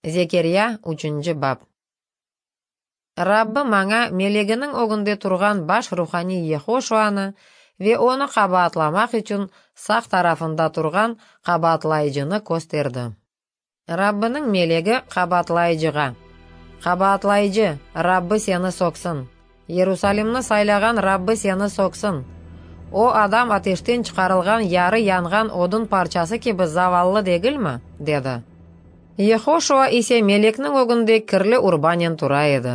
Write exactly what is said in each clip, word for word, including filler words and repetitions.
Zekerya, üçünci bap. Rabbi maña meleginiñ ögünde turğan baş ruhaniy Yehoşuanı ve onı qabaatlamaq içün sağ tarafında turğan qabaatlayıcını kösterdi. Rabbiniñ melegi qabaatlayıcığa: Qabaatlayıcı, Rabbi seni söksün! Yerusalimni saylağan Rabbi seni söksün! O adam ateşten çıqarılğan yarı yanğan odun parçası kibi zavallı degilmi? Dedi. Yehoşua ise melekniñ ögünde kirli urbanen tura edi.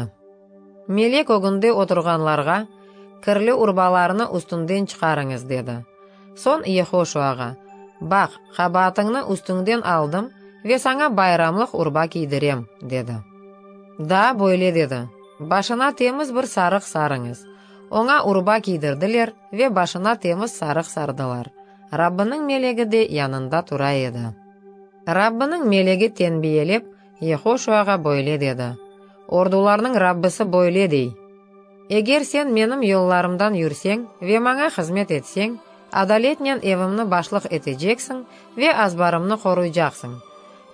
Melek ögünde oturğanlarğa: Kirli urbalarnı üstünden çıqarıñız, dedi. Soñ Yehoşuağa: Baq, qabaatıñnı üstüñden aldım ve saña bayramlıq urba kiydirem, dedi. Daa böyle dedi: Başına temiz bir sarıq sarıñız. Oña urba kiydirdiler ve başına temiz sarıq sardılar. Rabbiniñ melegi de yanında tura edi. Rabbiniñ melegi tenbiyelep, Yehoşuağa böyle dedi: Ordularnıñ Rabbisi böyle dey: Eger sen menim yollarımdan yürseñ ve maña hızmet etseñ, adaletnen evimni başlıq eteceksiñ ve azbarımnı qoruycaqsıñ.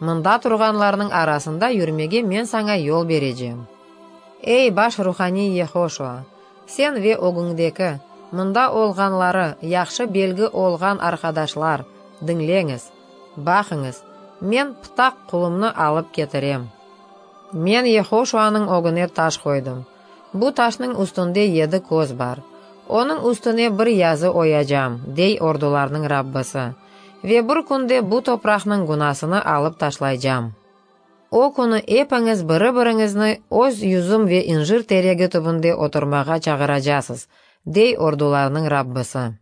Mında turğanlarnıñ arasında yürmege men saña yol berecem. Ey, baş ruhaniy Yehoşua, sen ve ögüñdeki, mında olğanları yahşı belgi olğan arqadaşlar, diñleñiz! Baqıñız, men pıtaq qulumnı alıp ketirem. Men Yehoşuanıñ ögüne taş qoydım. Bu taşnıñ üstünde yedi köz bar. Onıñ üstüne bir yazı oyacam, dey ordularnıñ Rabbisi, ve bir künde bu topraqnıñ günasını alıp taşlaycam. O künü epiñiz biri-biriñizni öz yüzüm ve incir teregi tübünde oturmağa çağıracaqsız, dey ordularnıñ Rabbisi.